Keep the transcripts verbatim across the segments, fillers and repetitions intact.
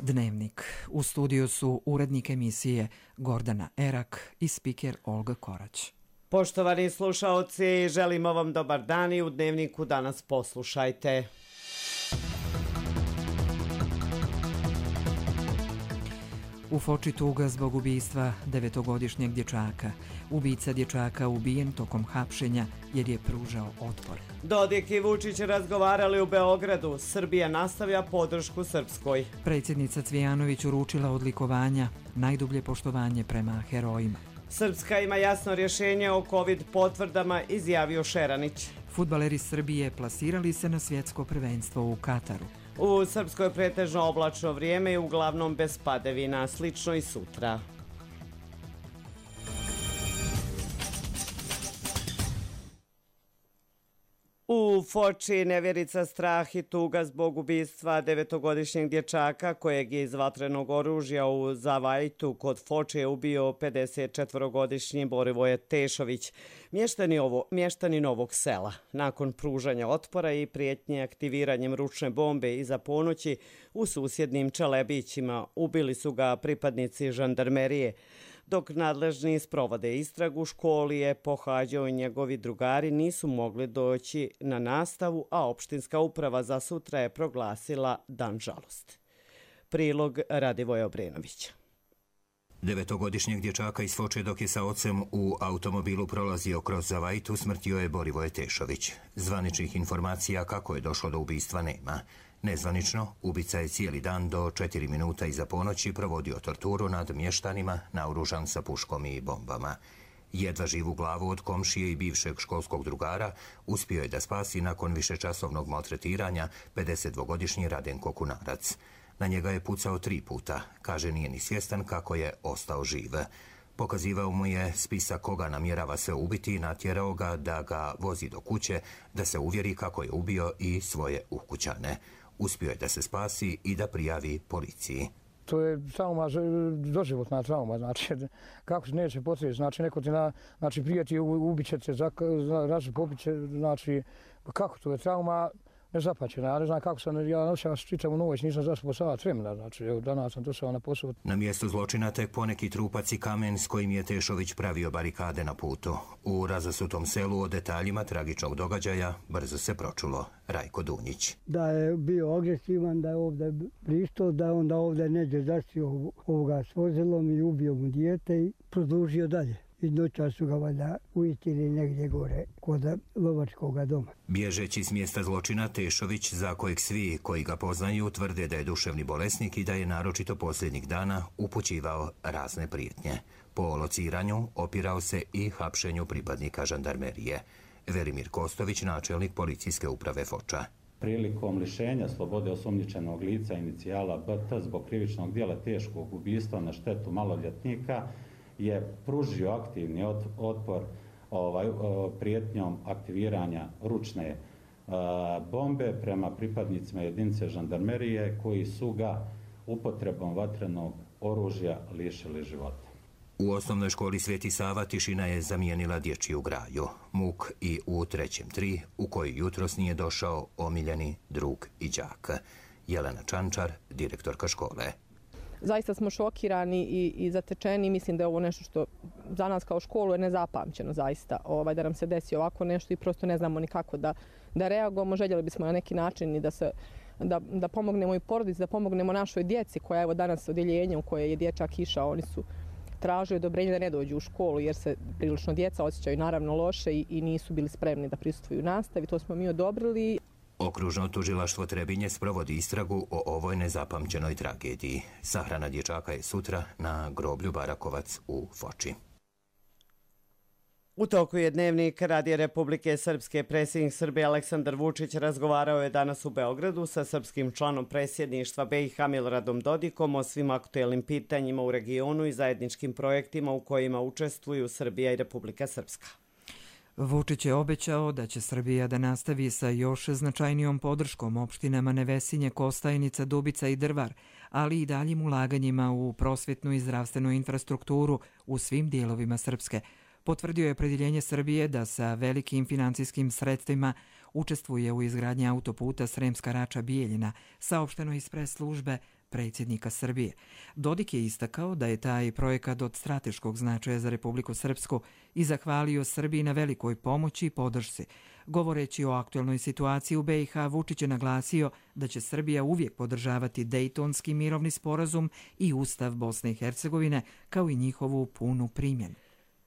Dnevnik. U studiju su urednik emisije Gordana Erak i spiker Olga Korać. Poštovani slušaoci, želimo vam dobar dan i u Dnevniku danas poslušajte. U Foči tuga zbog ubistva devetogodišnjeg dječaka. Ubica dječaka ubijen tokom hapšenja jer je pružao otpor. Dodik i Vučić razgovarali u Beogradu. Srbija nastavlja podršku Srpskoj. Predsjednica Cvijanović uručila odlikovanja, najdublje poštovanje prema herojima. Srpska ima jasno rješenje o COVID potvrdama, izjavio Šeranić. Fudbaleri Srbije plasirali se na svjetsko prvenstvo u Kataru. U Srpskoj pretežno oblačno vrijeme i uglavnom bez padavina, slično i sutra. U Foči nevjerica, strah i tuga zbog ubistva devetogodišnjeg dječaka kojeg je iz vatrenog oružja u Zavajtu kod Foče ubio pedesetčetvorogodišnji Borivoje Tešović, mještani, ovo, mještani Novog Sela. Nakon pružanja otpora i prijetnje aktiviranjem ručne bombe iza ponoći u susjednim Čelebićima ubili su ga pripadnici žandarmerije. Dok nadležni sprovode istragu, školi je pohađao i njegovi drugari nisu mogli doći na nastavu, a opštinska uprava za sutra je proglasila dan žalosti. Prilog Radivoja Obrenovića. Devetogodišnjeg dječaka iz Foče dok je sa ocem u automobilu prolazio kroz Zavajtu smrtio je Borivoje Tešović. Zvaničnih informacija kako je došlo do ubistva nema. Nezvanično, ubica je cijeli dan do četiri minuta iza ponoći provodio torturu nad mještanima naoružan sa puškom i bombama. Jedva živu glavu od komšije i bivšeg školskog drugara uspio je da spasi nakon višečasovnog maltretiranja pedesetdvogodišnji Radenko Kunarac. Na njega je pucao tri puta, kaže nije ni svjestan kako je ostao živ. Pokazivao mu je spisak koga namjerava se ubiti i natjerao ga da ga vozi do kuće, da se uvjeri kako je ubio i svoje ukućane. Uspio je da se spasi i da prijavi policiji. To je trauma, doživotna trauma, znači kako se neće potrebiti, znači neko ti na, znači prijeti ubit će te, raži pobit će, znači kako to je trauma nezapačena, ja ne znam kako sam, ja noćam čitavu noć, nisam zaspao sat vremena, znači evo danas sam došao na posao. Na mjestu zločina tek poneki trupac i kamen s kojim je Tešović pravio barikade na putu. U razasutom selu o detaljima tragičnog događaja brzo se pročulo. Rajko Dunjić. Da je bio agresivan, da je ovdje prišto, da je onda ovdje neđe zaštio ovoga s vozilom i ubio mu dijete i produžio dalje. I noća su ga valjda ujistili negdje gore kod lovačkog doma. Bježeći s mjesta zločina, Tešović, za kojeg svi koji ga poznaju tvrde da je duševni bolesnik i da je naročito posljednjih dana upućivao razne prijetnje. Po lociranju opirao se i hapšenju pripadnika žandarmerije. Velimir Kostović, načelnik policijske uprave Foča. Prilikom lišenja slobode osumnjičenog lica inicijala B T zbog krivičnog djela teškog ubistva na štetu maloljetnika je pružio aktivni otpor ovaj, prijetnjom aktiviranja ručne bombe prema pripadnicima jedinice žandarmerije koji su ga upotrebom vatrenog oružja lišili života. U osnovnoj školi Sveti Sava tišina je zamijenila dječju graju. Muk i u trećem tri, u koji jutros nije došao omiljeni drug i đak. Jelena Čančar, direktorka škole. Zaista smo šokirani i, i zatečeni. Mislim da je ovo nešto što za nas kao školu je nezapamćeno zaista. Ovaj, da nam se desi ovako nešto i prosto ne znamo ni kako da, da reagujemo. Željeli bismo na neki način i da, se, da, da pomognemo i porodici, da pomognemo našoj djeci koja je evo danas odjeljenje u koje je dječak išao. Oni su tražili odobrenje da ne dođu u školu jer se prilično djeca osjećaju naravno loše i, i nisu bili spremni da prisustvuju nastavi. To smo mi odobrili. Okružno tužilaštvo Trebinje sprovodi istragu o ovoj nezapamćenoj tragediji. Sahrana dječaka je sutra na groblju Barakovac u Foči. U toku je Dnevnik Radija Republike Srpske. Predsjednik Srbije Aleksandar Vučić razgovarao je danas u Beogradu sa srpskim članom predsjedništva B i H Miloradom Dodikom o svim aktuelnim pitanjima u regionu i zajedničkim projektima u kojima učestvuju Srbija i Republika Srpska. Vučić je obećao da će Srbija da nastavi sa još značajnijom podrškom opštinama Nevesinje, Kostajnica, Dubica i Drvar, ali i daljim ulaganjima u prosvjetnu i zdravstvenu infrastrukturu u svim dijelovima Srpske. Potvrdio je opredjeljenje Srbije da sa velikim financijskim sredstvima učestvuje u izgradnji autoputa Sremska Rača-Bijeljina, saopšteno iz pres službe predsjednika Srbije. Dodik je istakao da je taj projekat od strateškog značaja za Republiku Srpsku i zahvalio Srbiji na velikoj pomoći i podršci. Govoreći o aktuelnoj situaciji u B i H, Vučić je naglasio da će Srbija uvijek podržavati Dejtonski mirovni sporazum i Ustav Bosne i Hercegovine, kao i njihovu punu primjenu.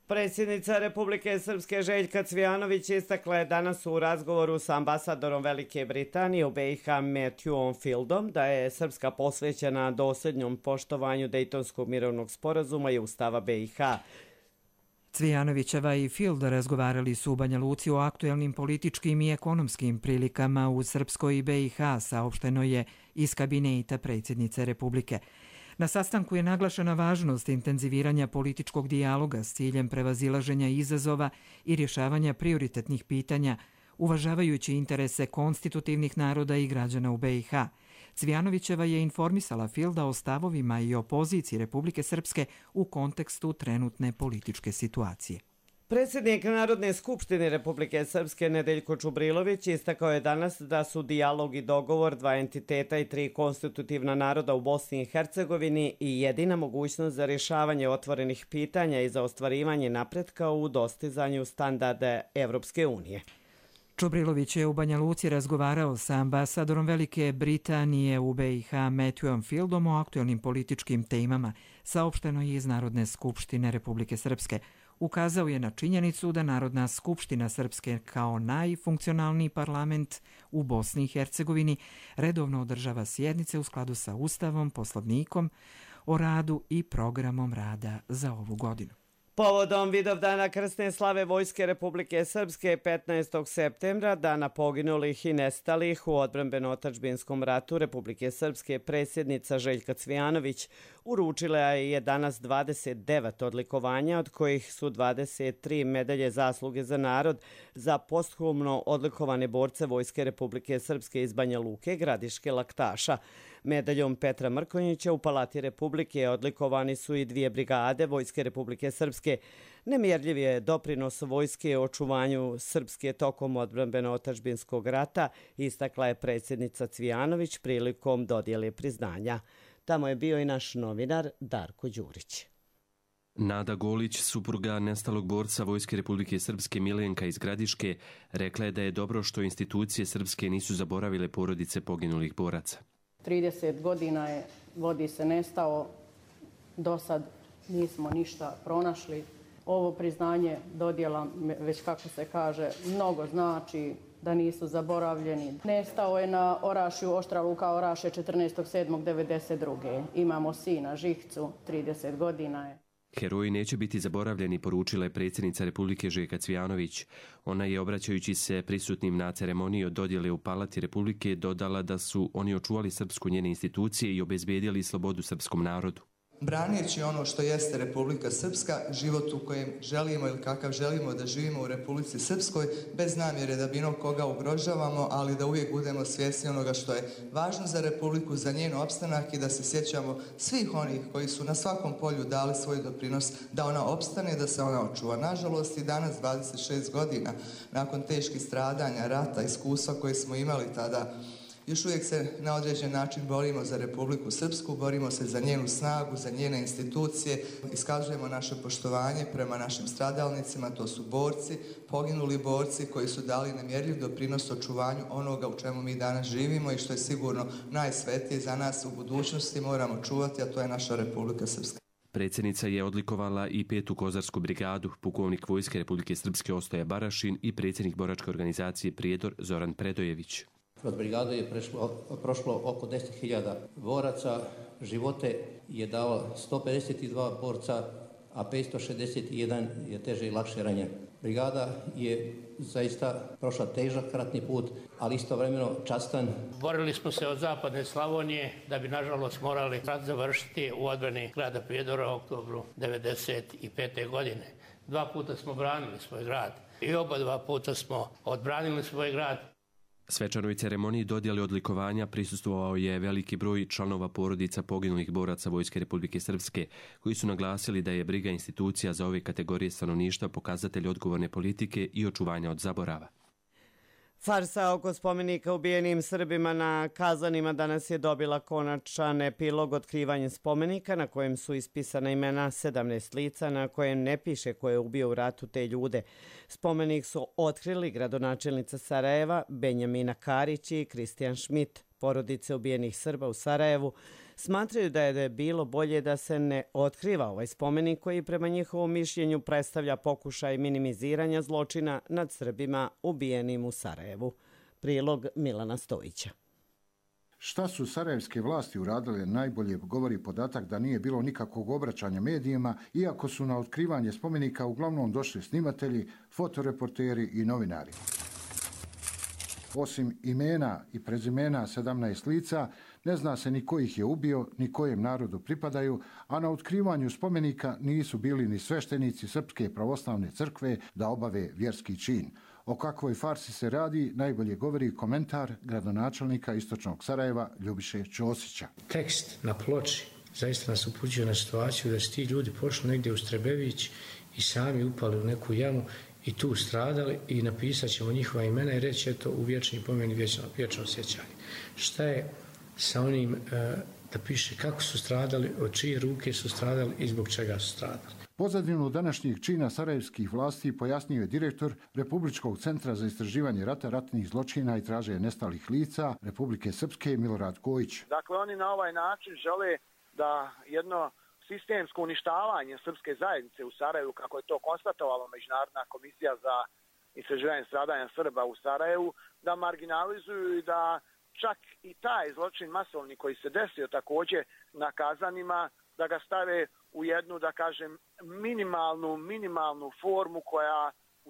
Predsjednica Republike Srpske Željka Cvijanović istakla je danas u razgovoru sa ambasadorom Velike Britanije u B i H Matthewom Fieldom da je Srpska posvećena dosljednjom poštovanju Dejtonskog mirovnog sporazuma i Ustava B i H. Cvijanovićeva i Field razgovarali su u Banja Luci o aktuelnim političkim i ekonomskim prilikama u Srpskoj i B i H, saopšteno je iz kabineta predsjednice Republike. Na sastanku je naglašena važnost intenziviranja političkog dijaloga s ciljem prevazilaženja izazova i rješavanja prioritetnih pitanja, uvažavajući interese konstitutivnih naroda i građana u B i H. Cvijanovićeva je informisala Fielda o stavovima i opoziciji Republike Srpske u kontekstu trenutne političke situacije. Predsjednik Narodne skupštine Republike Srpske Nedeljko Čubrilović istakao je danas da su dijalog i dogovor dva entiteta i tri konstitutivna naroda u Bosni i Hercegovini i jedina mogućnost za rješavanje otvorenih pitanja i za ostvarivanje napretka u dostizanju standarda Evropske unije. Čubrilović je u Banja Luci razgovarao sa ambasadorom Velike Britanije u B i H Matthewom Fieldom o aktuelnim političkim temama, saopšteno je iz Narodne skupštine Republike Srpske. Ukazao je na činjenicu da Narodna skupština Srpske kao najfunkcionalniji parlament u Bosni i Hercegovini redovno održava sjednice u skladu sa Ustavom, Poslovnikom o radu i programom rada za ovu godinu. Povodom Vidovdana krsne slave Vojske Republike Srpske petnaestog septembra, dana poginulih i nestalih u odbrambeno-otadžbinskom ratu Republike Srpske, predsjednica Željka Cvijanović uručila je danas dvadeset devet odlikovanja, od kojih su dvadeset tri medalje zasluge za narod za posthumno odlikovane borce Vojske Republike Srpske iz Banja Luke, Gradiške, Laktaša. Medaljom Petra Mrkonjića u Palati Republike odlikovani su i dvije brigade Vojske Republike Srpske. Nemjerljiv je doprinos vojske o očuvanju Srpske tokom odbrambeno-otadžbinskog rata, istakla je predsjednica Cvijanović prilikom dodjele priznanja. Tamo je bio i naš novinar Darko Đurić. Nada Golić, supruga nestalog borca Vojske Republike Srpske Milenka iz Gradiške, rekla je da je dobro što institucije srpske nisu zaboravile porodice poginulih boraca. trideset godina je, vodi se nestao, do sad nismo ništa pronašli. Ovo priznanje dodjela, već kako se kaže, mnogo znači da nisu zaboravljeni. Nestao je na Orašju, Oštra Luka Oraše četrnaestog sedmog devedeset druge Imamo sina Žihcu, trideset godina je. Heroji neće biti zaboravljeni, poručila je predsjednica Republike Željka Cvijanović. Ona je, obraćajući se prisutnim na ceremoniji od dodjele u Palati Republike, dodala da su oni očuvali srpsku, njene institucije i obezbedili slobodu srpskom narodu. Braneći ono što jeste Republika Srpska, život u kojem želimo ili kakav želimo da živimo u Republici Srpskoj, bez namjere da bilo koga ugrožavamo, ali da uvijek budemo svjesni onoga što je važno za Republiku, za njen opstanak i da se sjećamo svih onih koji su na svakom polju dali svoj doprinos da ona opstane, da se ona očuva. Nažalost i danas, dvadeset šest godina, nakon teških stradanja, rata, iskustva koje smo imali tada, još uvijek se na određen način borimo za Republiku Srpsku, borimo se za njenu snagu, za njene institucije, iskazujemo naše poštovanje prema našim stradalnicima, to su borci, poginuli borci koji su dali nemjerljiv doprinos očuvanju onoga u čemu mi danas živimo i što je sigurno najsvetije za nas u budućnosti moramo čuvati, a to je naša Republika Srpska. Predsjednica je odlikovala i petu kozarsku brigadu, pukovnik Vojske Republike Srpske Ostoja Barašin i predsjednik boračke organizacije Prijedor Zoran Predojević. Kroz brigadu je prešlo, prošlo oko deset hiljada boraca, živote je dalo sto pedeset dva borca, a petsto šezdeset jedan je teže i lakše ranjen. Brigada je zaista prošla težak ratni put, ali istovremeno častan. Borili smo se od zapadne Slavonije da bi nažalost morali rat završiti u odbrani grada Prijedora u oktobru devedeset pete. godine. Dva puta smo branili svoj grad i oba dva puta smo odbranili svoj grad. Svečanoj ceremoniji dodjele odlikovanja prisustvovao je veliki broj članova porodica poginulih boraca Vojske Republike Srpske, koji su naglasili da je briga institucija za ove kategorije stanovništva pokazatelj odgovorne politike i očuvanja od zaborava. Farsa oko spomenika ubijenim Srbima na Kazanima danas je dobila konačan epilog otkrivanjem spomenika na kojem su ispisana imena sedamnaest lica na kojem ne piše ko je ubio u ratu te ljude. Spomenik su otkrili gradonačelnica Sarajeva Benjamina Karić i Kristijan Šmit. Porodice ubijenih Srba u Sarajevu smatraju da je bilo bolje da se ne otkriva ovaj spomenik koji prema njihovom mišljenju predstavlja pokušaj minimiziranja zločina nad Srbima ubijenim u Sarajevu. Prilog Milana Stojića. Šta su sarajevske vlasti uradile najbolje govori podatak da nije bilo nikakvog obraćanja medijima, iako su na otkrivanje spomenika uglavnom došli snimatelji, fotoreporteri i novinari. Osim imena i prezimena sedamnaest lica, ne zna se ni ko ih je ubio, ni kojem narodu pripadaju, a na otkrivanju spomenika nisu bili ni sveštenici Srpske pravoslavne crkve da obave vjerski čin. O kakvoj farsi se radi najbolje govori komentar gradonačelnika Istočnog Sarajeva Ljubiše Ćosića. Tekst na ploči zaista nas upućuje na situaciju da su ti ljudi pošli negdje u Strebević i sami upali u neku jamu i tu stradali i napisat ćemo njihova imena i reći eto u vječni pomen i vječno, vječno sjećanje. Šta je sa onim e, da piše kako su stradali, od čije ruke su stradali i zbog čega su stradali. Pozadinu današnjih čina sarajevskih vlasti pojasnio je direktor Republičkog centra za istraživanje rata, ratnih zločina i traže nestalih lica Republike Srpske Milorad Kojić. Dakle, oni na ovaj način žele da jedno sistemsko uništavanje srpske zajednice u Sarajevu, kako je to konstatovala Međunarodna komisija za istraživanje stradanja Srba u Sarajevu, da marginalizuju i da čak i taj zločin masovni koji se desio također na Kazanima, da ga stave u jednu, da kažem, minimalnu, minimalnu formu koja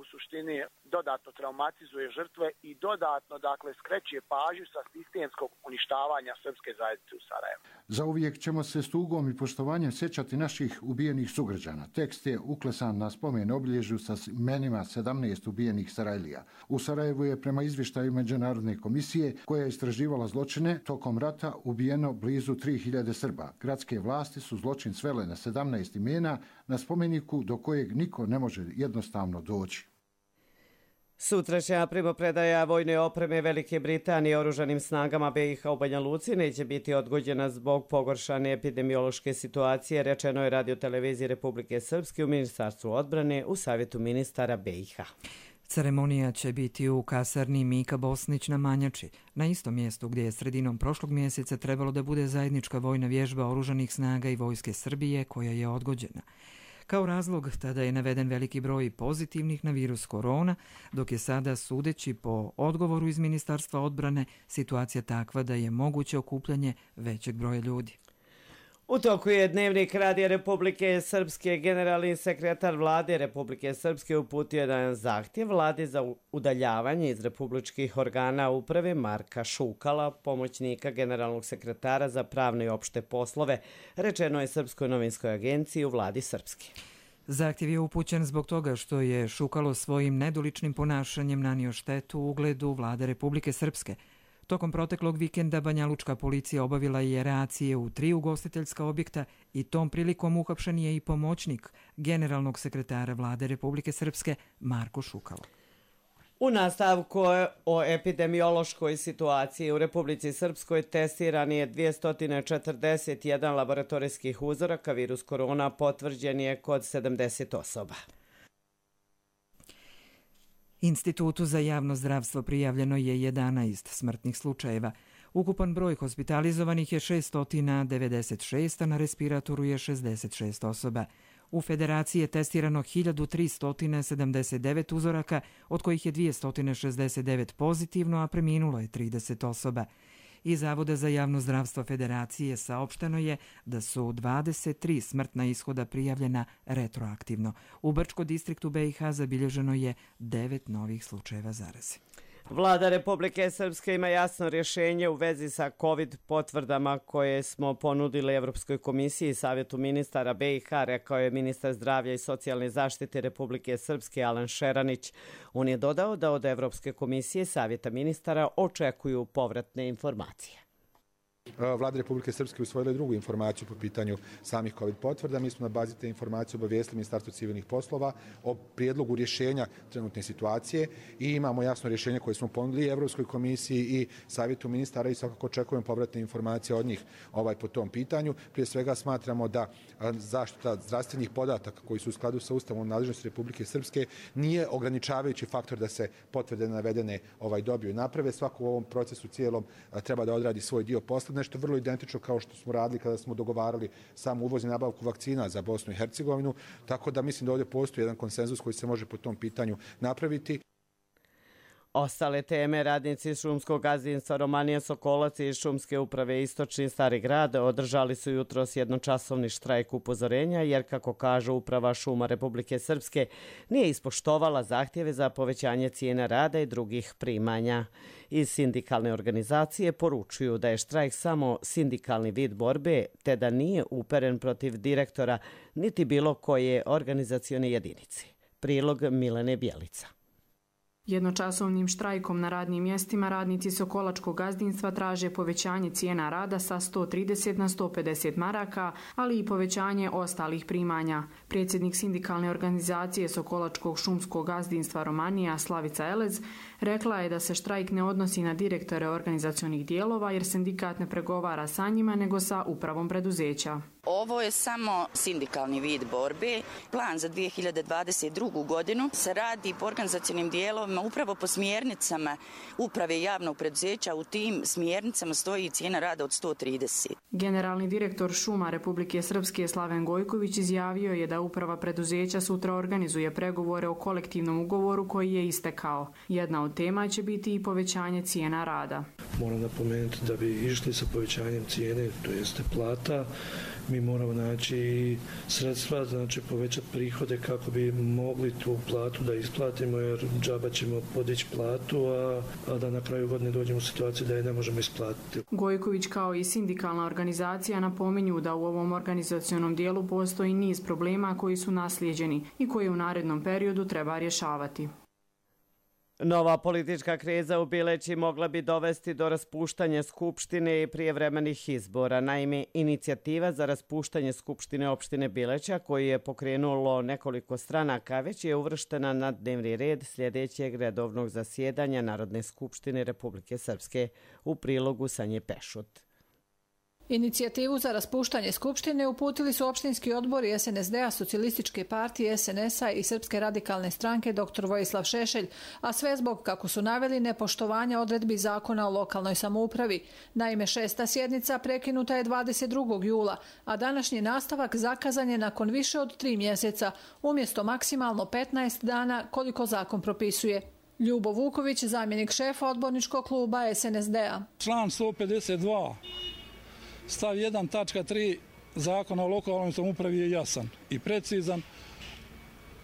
u suštini dodatno traumatizuje žrtve i dodatno, dakle, skreće pažnju sa sistemskog uništavanja srpske zajednice u Sarajevu. Zauvijek ćemo se s tugom i poštovanjem sjećati naših ubijenih sugrađana. Tekst je uklesan na spomen obilježju sa imenima sedamnaest ubijenih Sarajlija. U Sarajevu je prema izvještaju Međunarodne komisije koja je istraživala zločine tokom rata ubijeno blizu tri hiljade Srba. Gradske vlasti su zločin svele na sedamnaest imena na spomeniku do kojeg niko ne može jednostavno doći. Sutrašnja primopredaja vojne opreme Velike Britanije oružanim snagama B i H u Banja Luci neće biti odgođena zbog pogoršane epidemiološke situacije, rečeno je radioteleviziji Republike Srpske u Ministarstvu odbrane u Savjetu ministara B i H. Ceremonija će biti u kasarni Mika Bosnić na Manjači, na istom mjestu gdje je sredinom prošlog mjeseca trebalo da bude zajednička vojna vježba oružanih snaga i vojske Srbije koja je odgođena. Kao razlog tada je naveden veliki broj pozitivnih na virus korona, dok je sada, sudeći po odgovoru iz Ministarstva odbrane, situacija takva da je moguće okupljanje većeg broja ljudi. U toku je Dnevnik Radija Republike Srpske. Generalni sekretar Vlade Republike Srpske uputio jedan zahtjev Vlade za udaljavanje iz republičkih organa uprave Marka Šukala, pomoćnika generalnog sekretara za pravne i opšte poslove, rečeno je Srpskoj novinskoj agenciji u Vladi Srpske. Zahtjev je upućen zbog toga što je Šukalo svojim nedoličnim ponašanjem nanio štetu ugledu Vlade Republike Srpske. Tokom proteklog vikenda banjalučka policija obavila je racije u tri ugostiteljska objekta i tom prilikom uhapšen je i pomoćnik generalnog sekretara Vlade Republike Srpske Marko Šukalo. U nastavku o epidemiološkoj situaciji u Republici Srpskoj testiran je dvjesto četrdeset jedan laboratorijskih uzoraka, virus korona potvrđen je kod sedamdeset osoba. Institutu za javno zdravstvo prijavljeno je jedanaest smrtnih slučajeva. Ukupan broj hospitalizovanih je šesto devedeset šest, a na respiratoru je šezdeset šest osoba. U Federaciji je testirano hiljadu tristo sedamdeset devet uzoraka, od kojih je dvjesto šezdeset devet pozitivno, a preminulo je trideset osoba. Iz Zavoda za javno zdravstvo Federacije saopšteno je da su dvadeset tri smrtna ishoda prijavljena retroaktivno. U Brčko distriktu B i H zabilježeno je devet novih slučajeva zaraze. Vlada Republike Srpske ima jasno rješenje u vezi sa COVID potvrdama koje smo ponudili Evropskoj komisiji i Savjetu ministara B i H, rekao je ministar zdravlja i socijalne zaštite Republike Srpske Alan Šeranić. On je dodao da od Evropske komisije i Savjeta ministara očekuju povratne informacije. Vlada Republike Srpske usvojila drugu informaciju po pitanju samih COVID potvrda. Mi smo na bazi te informacije obavijestili Ministarstvo civilnih poslova o prijedlogu rješenja trenutne situacije i imamo jasno rješenje koje smo ponudili Evropskoj komisiji i Savjetu ministara i svakako očekujemo povratne informacije od njih ovaj, po tom pitanju. Prije svega smatramo da zaštita zdravstvenih podataka koji su u skladu sa Ustavom nadležnosti Republike Srpske nije ograničavajući faktor da se potvrde navedene ovaj, dobiju i naprave. Svako u ovom procesu cijelom treba da odradi svoj dio posla. Nešto vrlo identično kao što smo radili kada smo dogovarali samu uvoz i nabavku vakcina za Bosnu i Hercegovinu, tako da mislim da ovdje postoji jedan konsenzus koji se može po tom pitanju napraviti. Ostale teme, radnici šumskog gazdinstva Romanija Sokolac i šumske uprave Istočni Stari grad održali su jutros jednočasovni štrajk upozorenja jer, kako kaže Uprava šuma Republike Srpske, nije ispoštovala zahtjeve za povećanje cijena rada i drugih primanja. Iz sindikalne organizacije poručuju da je štrajk samo sindikalni vid borbe te da nije uperen protiv direktora niti bilo koje organizacione jedinice. Prilog Milene Bjelica. Jednočasovnim štrajkom na radnim mjestima radnici Sokolačkog gazdinstva traže povećanje cijena rada sa sto trideset na sto pedeset maraka, ali i povećanje ostalih primanja. Predsjednik sindikalne organizacije Sokolačkog šumskog gazdinstva Romanija Slavica Elez rekla je da se štrajk ne odnosi na direktore organizacionih dijelova jer sindikat ne pregovara sa njima nego sa upravom preduzeća. Ovo je samo sindikalni vid borbe. Plan za dvije hiljade dvadeset drugu. godinu se radi po organizacionim dijelovima upravo po smjernicama uprave javnog preduzeća. U tim smjernicama stoji cijena rada od sto trideset. Generalni direktor šuma Republike Srpske Slaven Gojković izjavio je da uprava preduzeća sutra organizuje pregovore o kolektivnom ugovoru koji je istekao. Jedna od tema će biti i povećanje cijena rada. Moram napomenuti da bi išli sa povećanjem cijene, to jeste plata, mi moramo naći sredstva, znači povećati prihode kako bi mogli tu platu da isplatimo, jer džaba ćemo podići platu, a, a da na kraju godine dođemo u situaciju da je ne možemo isplatiti. Gojković kao i sindikalna organizacija napominju da u ovom organizacionom dijelu postoji niz problema koji su naslijeđeni i koje u narednom periodu treba rješavati. Nova politička kriza u Bileći mogla bi dovesti do raspuštanja Skupštine i prijevremenih izbora. Naime, inicijativa za raspuštanje Skupštine opštine Bileća, koju je pokrenulo nekoliko stranaka, već je uvrštena na dnevni red sljedećeg redovnog zasjedanja Narodne skupštine Republike Srpske, u prilogu Sanje Pešut. Inicijativu za raspuštanje Skupštine uputili su opštinski odbori es en es de a, Socijalističke partije, es en es a i Srpske radikalne stranke doktor Vojislav Šešelj, a sve zbog, kako su naveli, nepoštovanja odredbi zakona o lokalnoj samoupravi. Naime, šesta sjednica prekinuta je dvadeset drugog jula, a današnji nastavak zakazan je nakon više od tri mjeseca, umjesto maksimalno petnaest dana koliko zakon propisuje. Ljubo Vuković, zamjenik šefa odborničkog kluba es en es de a. Član sto pedeset dva. Stav jedan tačka tri zakona o lokalnoj samoupravi je jasan i precizan.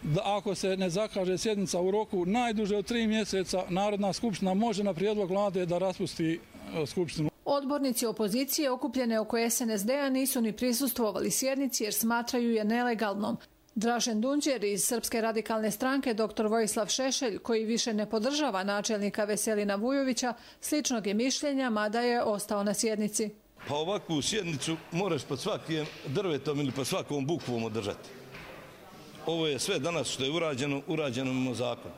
Da ako se ne zakaže sjednica u roku najduže od tri mjeseca, Narodna skupština može na prijedlog vlade da raspusti skupštinu. Odbornici opozicije okupljene oko es en es de a nisu ni prisustvovali sjednici jer smatraju je nelegalnom. Dražen Dunđer iz Srpske radikalne stranke doktor Vojislav Šešelj, koji više ne podržava načelnika Veselina Vujovića, sličnog je mišljenja, mada je ostao na sjednici. Pa ovakvu sjednicu moraš pod svakim drvetom ili pod svakom bukvom održati. Ovo je sve danas što je urađeno, urađeno mimo zakona.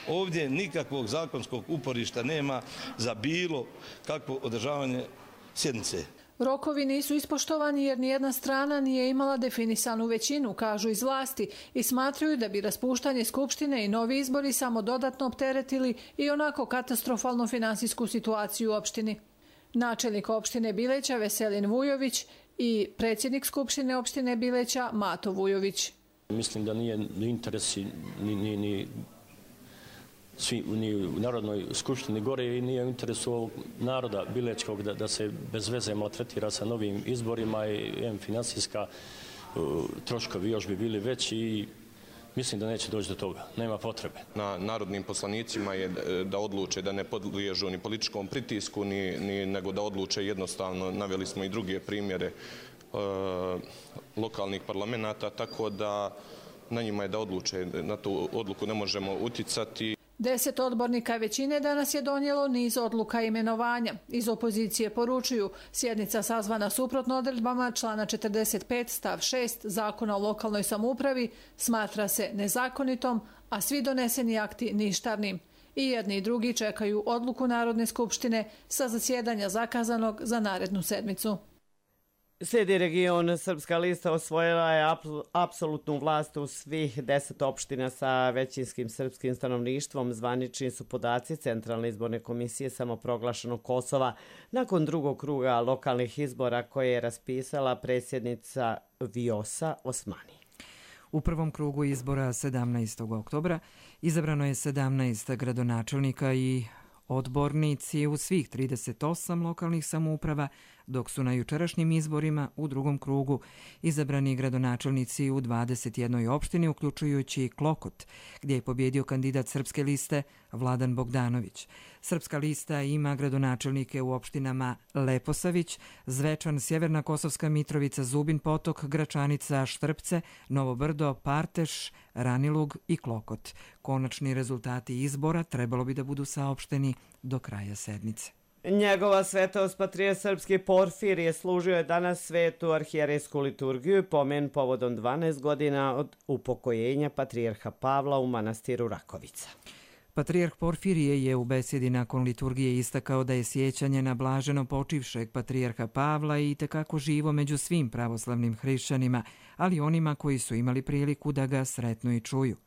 Ovdje nikakvog zakonskog uporišta nema za bilo kakvo održavanje sjednice. Rokovi nisu ispoštovani jer nijedna strana nije imala definisanu većinu, kažu iz vlasti, i smatraju da bi raspuštanje Skupštine i novi izbori samo dodatno opteretili i onako katastrofalnu finansijsku situaciju u opštini. Načelnik opštine Bileća Veselin Vujović i predsjednik Skupštine opštine Bileća Mato Vujović. Mislim da nije ni interesi ni, ni, ni, svi, ni u Narodnoj skupštini gore i nije u interesu ovog naroda Bilećkog da, da se bez veze maltretira sa novim izborima i em, finansijska uh, troškovi još bi bili veći i mislim da neće doći do toga. Nema potrebe. Na narodnim poslanicima je da odluče da ne podliježu ni političkom pritisku, ni, ni, nego da odluče jednostavno. Naveli smo i druge primjere e, lokalnih parlamenta, tako da na njima je da odluče. Na tu odluku ne možemo uticati. Deset odbornika većine danas je donijelo niz odluka i imenovanja. Iz opozicije poručuju, sjednica sazvana suprotno odredbama člana četrdeset pet stav šest Zakona o lokalnoj samoupravi smatra se nezakonitom, a svi doneseni akti ništavnim. I jedni i drugi čekaju odluku Narodne skupštine sa zasjedanja zakazanog za narednu sedmicu. Slijedi region. Srpska lista osvojila je apsolutnu vlast u svih deset opština sa većinskim srpskim stanovništvom. Zvanični su podaci Centralne izborne komisije samoproglašenog Kosova nakon drugog kruga lokalnih izbora koje je raspisala predsjednica Vjosa Osmani. U prvom krugu izbora sedamnaestog oktobra izabrano je sedamnaest gradonačelnika i odbornici u svih trideset osam lokalnih samouprava, dok su na jučerašnjim izborima u drugom krugu izabrani gradonačelnici u dvadeset jednoj opštini, uključujući Klokot, gdje je pobjedio kandidat Srpske liste Vladan Bogdanović. Srpska lista ima gradonačelnike u opštinama Leposavić, Zvečan, Sjeverna Kosovska Mitrovica, Zubin Potok, Gračanica, Štrpce, Novo Brdo, Parteš, Ranilug i Klokot. Konačni rezultati izbora trebalo bi da budu saopšteni do kraja sedmice. Njegova svetost patrijarh srpski Porfirije služio je danas svetu arhijerejsku liturgiju i pomen povodom dvanaest godina od upokojenja patrijarha Pavla u manastiru Rakovica. Patrijarh Porfirije je u besedi nakon liturgije istakao da je sjećanje na blaženo počivšeg patrijarha Pavla i tekako živo među svim pravoslavnim hrišćanima, ali onima koji su imali priliku da ga sretnu i čuju.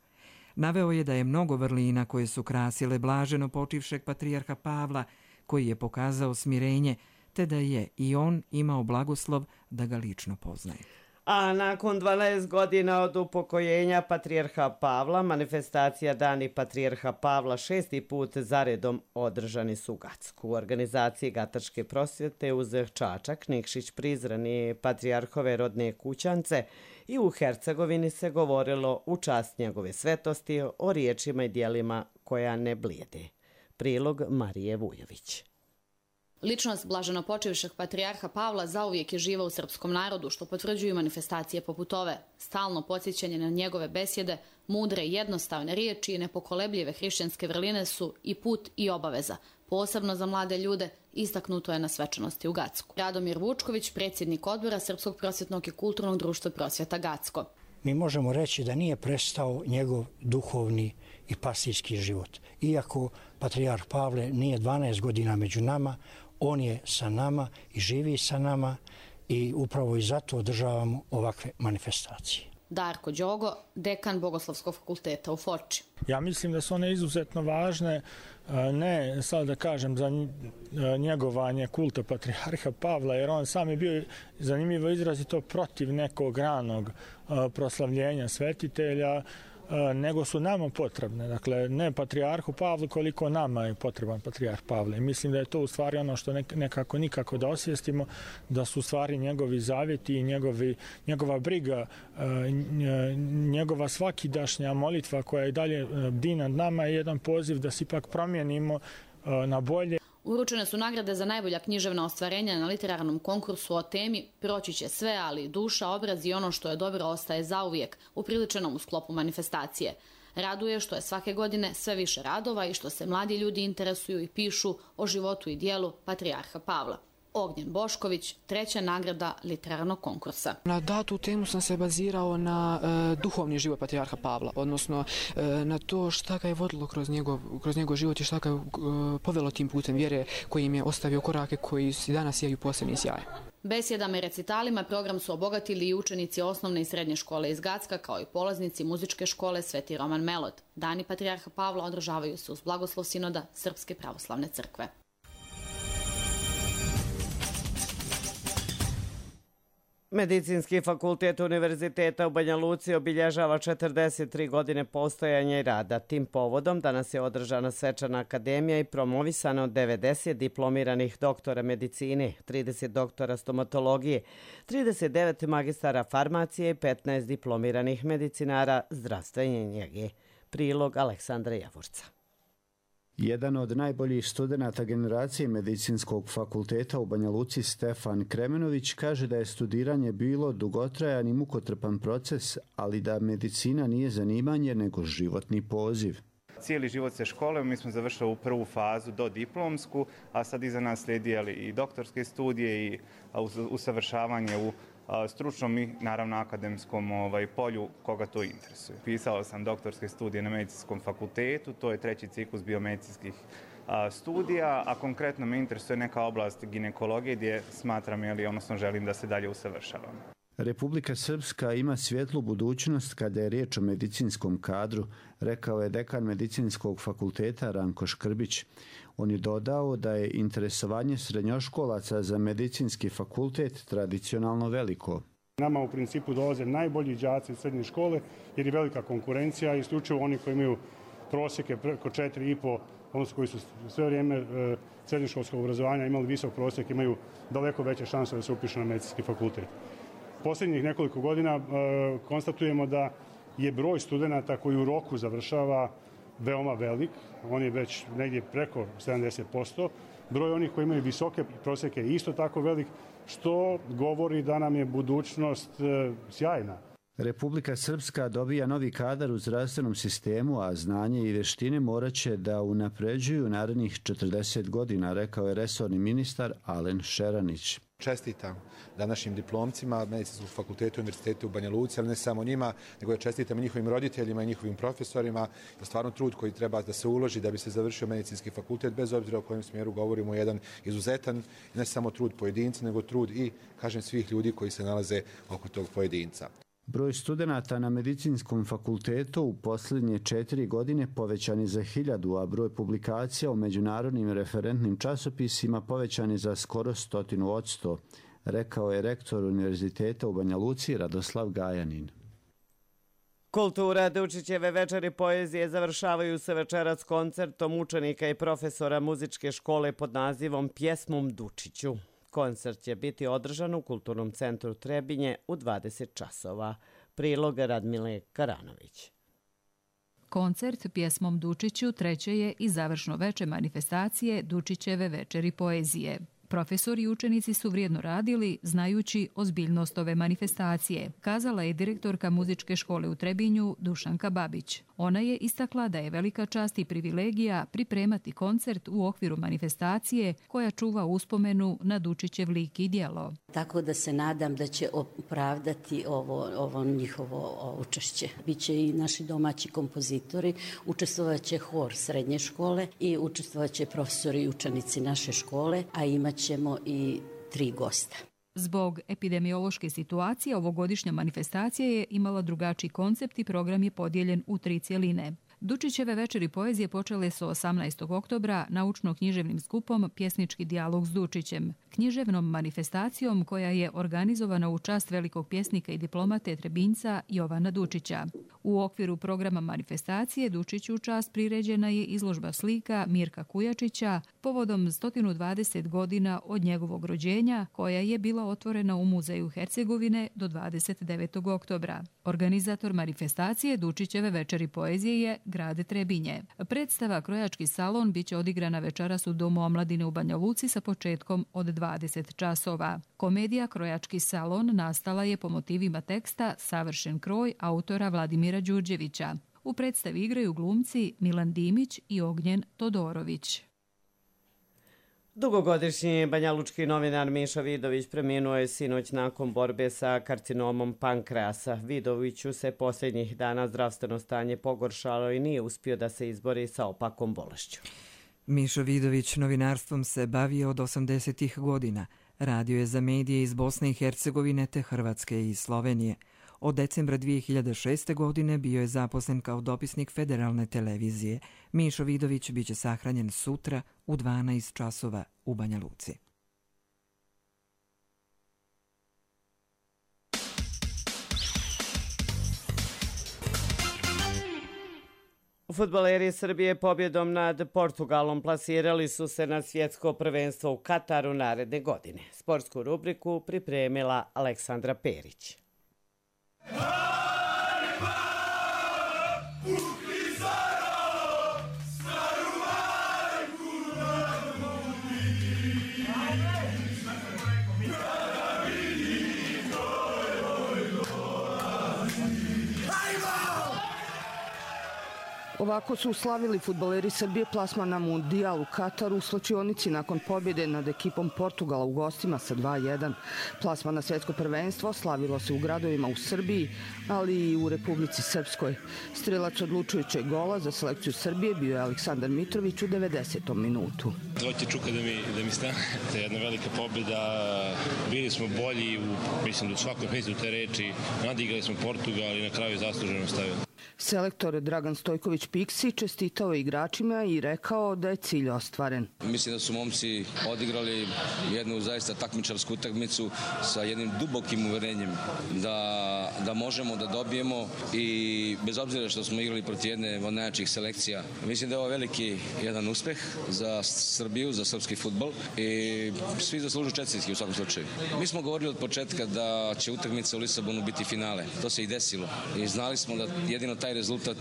Naveo je da je mnogo vrlina koje su krasile blaženo počivšeg patrijarha Pavla, koji je pokazao smirenje, te da je i on imao blagoslov da ga lično poznaje. A nakon dvanaest godina od upokojenja patrijarha Pavla, manifestacija Dani patrijarha Pavla šesti put zaredom održani su u Gacku. U organizaciji Gatačke prosvjete uz Čačak, Nikšić, Prizren i patrijarhove rodne kućance i u Hercegovini se govorilo u čast njegove svetosti o riječima i dijelima koja ne blijede. Prilog Marije Vujović. Ličnost blaženopočivšeg patrijarha Pavla zauvijek je živa u srpskom narodu, što potvrđuju manifestacije poput ove. Stalno podsjećanje na njegove besjede, mudre i jednostavne riječi i nepokolebljive hrišćanske vrline su i put i obaveza. Posebno za mlade ljude istaknuto je na svečanosti u Gacku. Radomir Vučković, predsjednik odbora Srpskog prosvjetnog i kulturnog društva Prosvjeta Gacko. Mi možemo reći da nije prestao njegov duhovni i pastirski život. Iako patrijarh Pavle nije dvanaest godina među nama, on je sa nama i živi sa nama i upravo i zato održavamo ovakve manifestacije. Darko Đogo, dekan Bogoslovskog fakulteta u Foči. Ja mislim da su one izuzetno važne, ne sad da kažem za njegovanje kulta patrijarha Pavla, jer on sam je bio zanimljivo izrazito protiv nekog ranog proslavljenja svetitelja, nego su nama potrebne. Dakle, ne patrijarhu Pavlu koliko nama je potreban patrijarh Pavle. Mislim da je to u stvari ono što nekako nikako da osvijestimo, da su u stvari njegovi zavjeti i njegovi, njegova briga, njegova svakidašnja molitva koja je dalje bdi nad nama je jedan poziv da se ipak promijenimo na bolje. Uručene su nagrade za najbolja književna ostvarenja na literarnom konkursu o temi Proći će sve, ali duša, obraz i ono što je dobro ostaje zauvijek, upriličenom u sklopu manifestacije. Raduje što je svake godine sve više radova i što se mladi ljudi interesuju i pišu o životu i dijelu patrijarha Pavla. Ognjen Bošković, treća nagrada literarnog konkursa. Na datu temu sam se bazirao na e, duhovni život patrijarha Pavla, odnosno e, na to šta ga je vodilo kroz njegov, kroz njegov život i šta ga je e, povelo tim putem vjere kojim je ostavio korake koji i danas sijaju posebni sjaj. Besjedama i recitalima program su obogatili i učenici osnovne i srednje škole iz Gacka, kao i polaznici muzičke škole Sveti Roman Melod. Dani patrijarha Pavla održavaju se uz blagoslov sinoda Srpske pravoslavne crkve. Medicinski fakultet Univerziteta u Banja Luci obilježava četrdeset tri godine postojanja i rada. Tim povodom danas je održana svečana akademija i promovisano devedeset diplomiranih doktora medicine, trideset doktora stomatologije, trideset devet magistara farmacije i petnaest diplomiranih medicinara zdravstvene njege. Prilog Aleksandra Javorca. Jedan od najboljih studenata generacije Medicinskog fakulteta u Banja Luci, Stefan Kremenović, kaže da je studiranje bilo dugotrajan i mukotrpan proces, ali da medicina nije zanimanje nego životni poziv. cijeli život se školujemo, mi smo završili u prvu fazu do diplomsku, a sad iza nas slijedi i doktorske studije i usavršavanje u stručnom i naravno akademskom ovaj, polju koga to interesuje. Pisao sam doktorske studije na medicinskom fakultetu, to je treći ciklus biomedicinskih a, studija, a konkretno me interesuje neka oblast ginekologije gdje smatram, jeli, odnosno želim da se dalje usavršavam. Republika Srpska ima svjetlu budućnost kada je riječ o medicinskom kadru, rekao je dekan medicinskog fakulteta Ranko Škrbić. On je dodao da je interesovanje srednjoškolaca za medicinski fakultet tradicionalno veliko. Nama u principu dolaze najbolji đaci iz srednje škole jer je velika konkurencija, isključivo oni koji imaju prosjeke preko četiri i po, odnosno koji su sve vrijeme e, srednjoškolskog obrazovanja imali visok prosjek, imaju daleko veće šanse da se upišu na medicinski fakultet. Posljednjih nekoliko godina e, konstatujemo da je broj studenata koji u roku završava veoma velik, on je već negdje preko sedamdeset posto. Broj onih koji imaju visoke prosjeke je isto tako velik, što govori da nam je budućnost e, sjajna. Republika Srpska dobija novi kadar u zdravstvenom sistemu, a znanje i vještine morat će da unapređuju narednih četrdeset godina, rekao je resorni ministar Alen Šeranić. Čestitam današnjim diplomcima Medicinskog fakulteta Univerziteta u Banja Luci, ali ne samo njima, nego ja čestitam i njihovim roditeljima i njihovim profesorima. Je stvarno trud koji treba da se uloži da bi se završio medicinski fakultet, bez obzira o kojem smjeru govorimo, jedan izuzetan, ne samo trud pojedinca, nego trud i, kažem, svih ljudi koji se nalaze oko tog pojedinca. Broj studenata na medicinskom fakultetu u posljednje četiri godine povećan je za hiljadu, a broj publikacija u međunarodnim referentnim časopisima povećan je za skoro stotinu odsto, rekao je rektor Univerziteta u Banja Luci Radoslav Gajanin. Kultura Dučićeve večeri poezije završavaju se večeras koncertom učenika i profesora muzičke škole pod nazivom Pjesmom Dučiću. Koncert će biti održan u Kulturnom centru Trebinje u dvadeset časova. Prilog Radmile Karanović. Koncert Pjesmom Dučiću treće je i završno veče manifestacije Dučićeve večeri poezije. Profesori i učenici su vrijedno radili, znajući ozbiljnost ove manifestacije, kazala je direktorka muzičke škole u Trebinju Dušanka Babić. Ona je istakla da je velika čast i privilegija pripremati koncert u okviru manifestacije koja čuva uspomenu na Dučićev lik i djelo. Tako da se nadam da će opravdati ovo, ovo njihovo učešće. Biće i naši domaći kompozitori, učestvovaće hor srednje škole i učestvovaće profesori i učenici naše škole, a imat ćemo i tri gosta. Zbog epidemiološke situacije ovogodišnja manifestacija je imala drugačiji koncept i program je podijeljen u tri cjeline. Dučićeve večeri poezije počele su osamnaestog oktobra naučno-književnim skupom Pjesnički dijalog s Dučićem, književnom manifestacijom koja je organizovana u čast velikog pjesnika i diplomate Trebinjca Jovana Dučića. U okviru programa manifestacije Dučiću u čast priređena je izložba slika Mirka Kujačića povodom sto dvadeset godina od njegovog rođenja, koja je bila otvorena u Muzeju Hercegovine do dvadeset devetog oktobra. Organizator manifestacije Dučićeve večeri poezije je grad Trebinje. Predstava Krojački salon biće odigrana večeras u Domu omladine u Banja Luci sa početkom od dvadeset časova. Komedija Krojački salon nastala je po motivima teksta Savršen kroj autora Vladimira Đurđevića. U predstavi igraju glumci Milan Dimić i Ognjen Todorović. Dugogodišnji banjalučki novinar Miša Vidović preminuo je sinoć nakon borbe sa karcinomom pankreasa. Vidoviću se posljednjih dana zdravstveno stanje pogoršalo i nije uspio da se izbori sa opakom bolešću. Miša Vidović novinarstvom se bavio od osamdesetih godina. Radio je za medije iz Bosne i Hercegovine te Hrvatske i Slovenije. Od decembra dvije hiljade šeste. godine bio je zaposlen kao dopisnik Federalne televizije. Mišo Vidović biće sahranjen sutra u dvanaest časova u Banja Luci. Fudbaleri Srbije pobjedom nad Portugalom plasirali su se na svjetsko prvenstvo u Kataru naredne godine. Sportsku rubriku pripremila Aleksandra Perić. Ovako su slavili fudbaleri Srbije plasman na Mundijal u Kataru u slačionici nakon pobjede nad ekipom Portugala u gostima sa dva jedan. Plasman na svetsko prvenstvo slavilo se u gradovima u Srbiji, ali i u Republici Srpskoj. Strelac odlučujućeg gola za selekciju Srbije bio je Aleksandar Mitrović u devedesetom minutu. Dvojte čuka da mi, da mi stane. To je jedna velika pobjeda. Bili smo bolji, u, mislim da u svakom smislu te reči. Nadigrali smo Portugal i na kraju zasluženo stavili. Selektor Dragan Stojković Piksi čestitao je igračima i rekao da je cilj ostvaren. Mislim da su momci odigrali jednu zaista takmičarsku utakmicu sa jednim dubokim uverenjem da, da možemo da dobijemo i bez obzira što smo igrali protiv jedne od najjačih selekcija. Mislim da je ovo veliki jedan uspeh za Srbiju, za srpski fudbal i svi zaslužuju čestitke u svakom slučaju. Mi smo govorili od početka da će utakmica u Lisabonu biti finale. To se i desilo i znali smo da jedino taj rezultat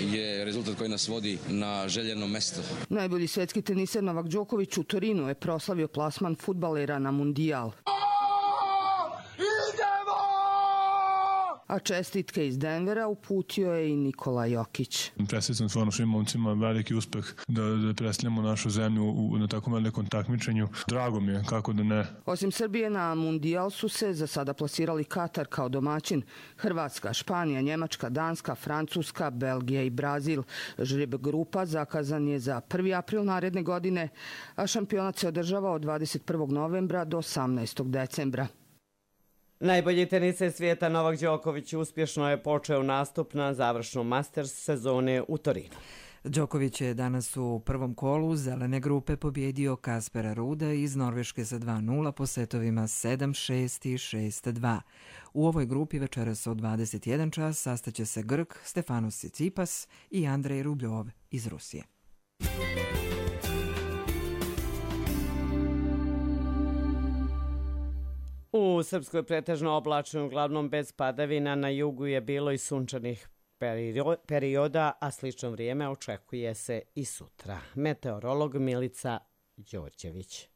je rezultat koji nas vodi na željeno mesto. Najbolji svetski teniser Novak Đoković u Torinu je proslavio plasman fudbalera na Mundijal. A čestitke iz Denvera uputio je i Nikola Jokić. Čestitam stvarno svim momcima, veliki uspeh da, da predstavljamo našu zemlju u, na takvom velikom takmičenju. Drago mi je, kako da ne. Osim Srbije na Mundijal su se za sada plasirali Katar kao domaćin, Hrvatska, Španija, Njemačka, Danska, Francuska, Belgija i Brazil. Žreb grupa zakazan je za prvi april naredne godine, a šampionat se održava od dvadeset prvog novembra do osamnaestog decembra. Najbolji teniser svijeta Novak Đoković uspješno je počeo nastup na završnom Masters sezone u Torinu. Đoković je danas u prvom kolu zelene grupe pobjedio Kaspera Ruda iz Norveške za dva nula po setovima sedam šest i šest dva. U ovoj grupi večeras od dvadeset jedan čas sastaće se Grk Stefanos Tsitsipas i Andrej Rubljov iz Rusije. U Srpskoj pretežno oblačno, uglavnom bez padavina, na jugu je bilo i sunčanih perioda, a slično vrijeme očekuje se i sutra. Meteorolog Milica Đorđević.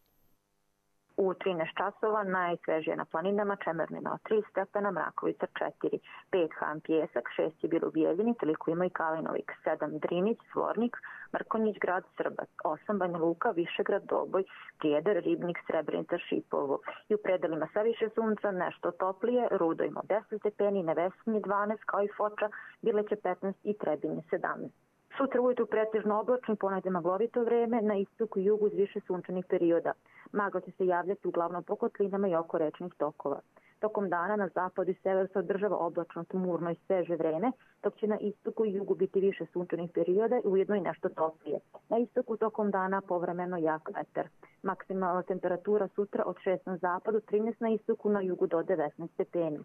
U trinaest časova najsvežije na planinama Čemermina tri stepena, Mrakovica četiri, pet Han Pjesak, šest je bilo u Bijeljini, toliko ima i Kalinovik, sedam Drinić, Svornik, Mrkonjić, grad Srbac, osam Banja Luka, Višegrad, Doboj, Prijedor, Ribnik, Srebrenica, Šipovo. I u predelima sa više sunca nešto toplije, Rudo ima deset stepeni, Nevesinje dvanaest, kao i Foča, Bileće petnaest i Trebinje sedamnaest. Sutra ujutru pretežno oblačno, ponegde maglovito vreme, na istoku i jugu uz više sunčanih perioda. Magla će se javljati uglavnom po kotlinama i oko rečnih tokova. Tokom dana na zapadu i severu se održava oblačno, tmurno i sveže vreme, dok će na istoku i jugu biti više sunčanih perioda i ujedno i nešto toplije. Na istoku tokom dana povremeno jak vetar. Maksimalna temperatura sutra od šest na zapadu, trinaest na istoku, na jugu do devetnaest stepeni.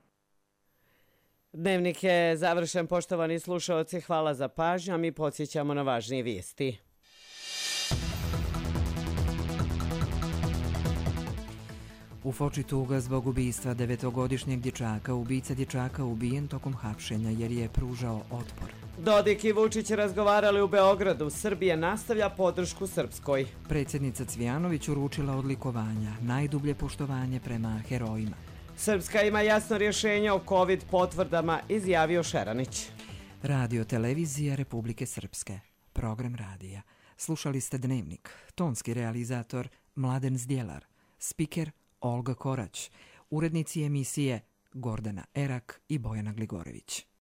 Dnevnik je završen, poštovani slušalci, hvala za pažnju, a mi podsjećamo na važnije vijesti. U Foči tuga zbog ubistva devetogodišnjeg dječaka. Ubica dječaka ubijen tokom hapšenja jer je pružao otpor. Dodik i Vučić razgovarali u Beogradu. Srbija nastavlja podršku Srpskoj. Predsjednica Cvijanović uručila odlikovanja, najdublje poštovanje prema herojima. Srpska ima jasno rješenje o COVID potvrdama, izjavio Šeranić. Radio Televizija Republike Srpske. Program radija. Slušali ste Dnevnik. Tonski realizator Mladen Zdjelar. Spiker Olga Korać. Urednici emisije Gordana Erak i Bojana Gligorević.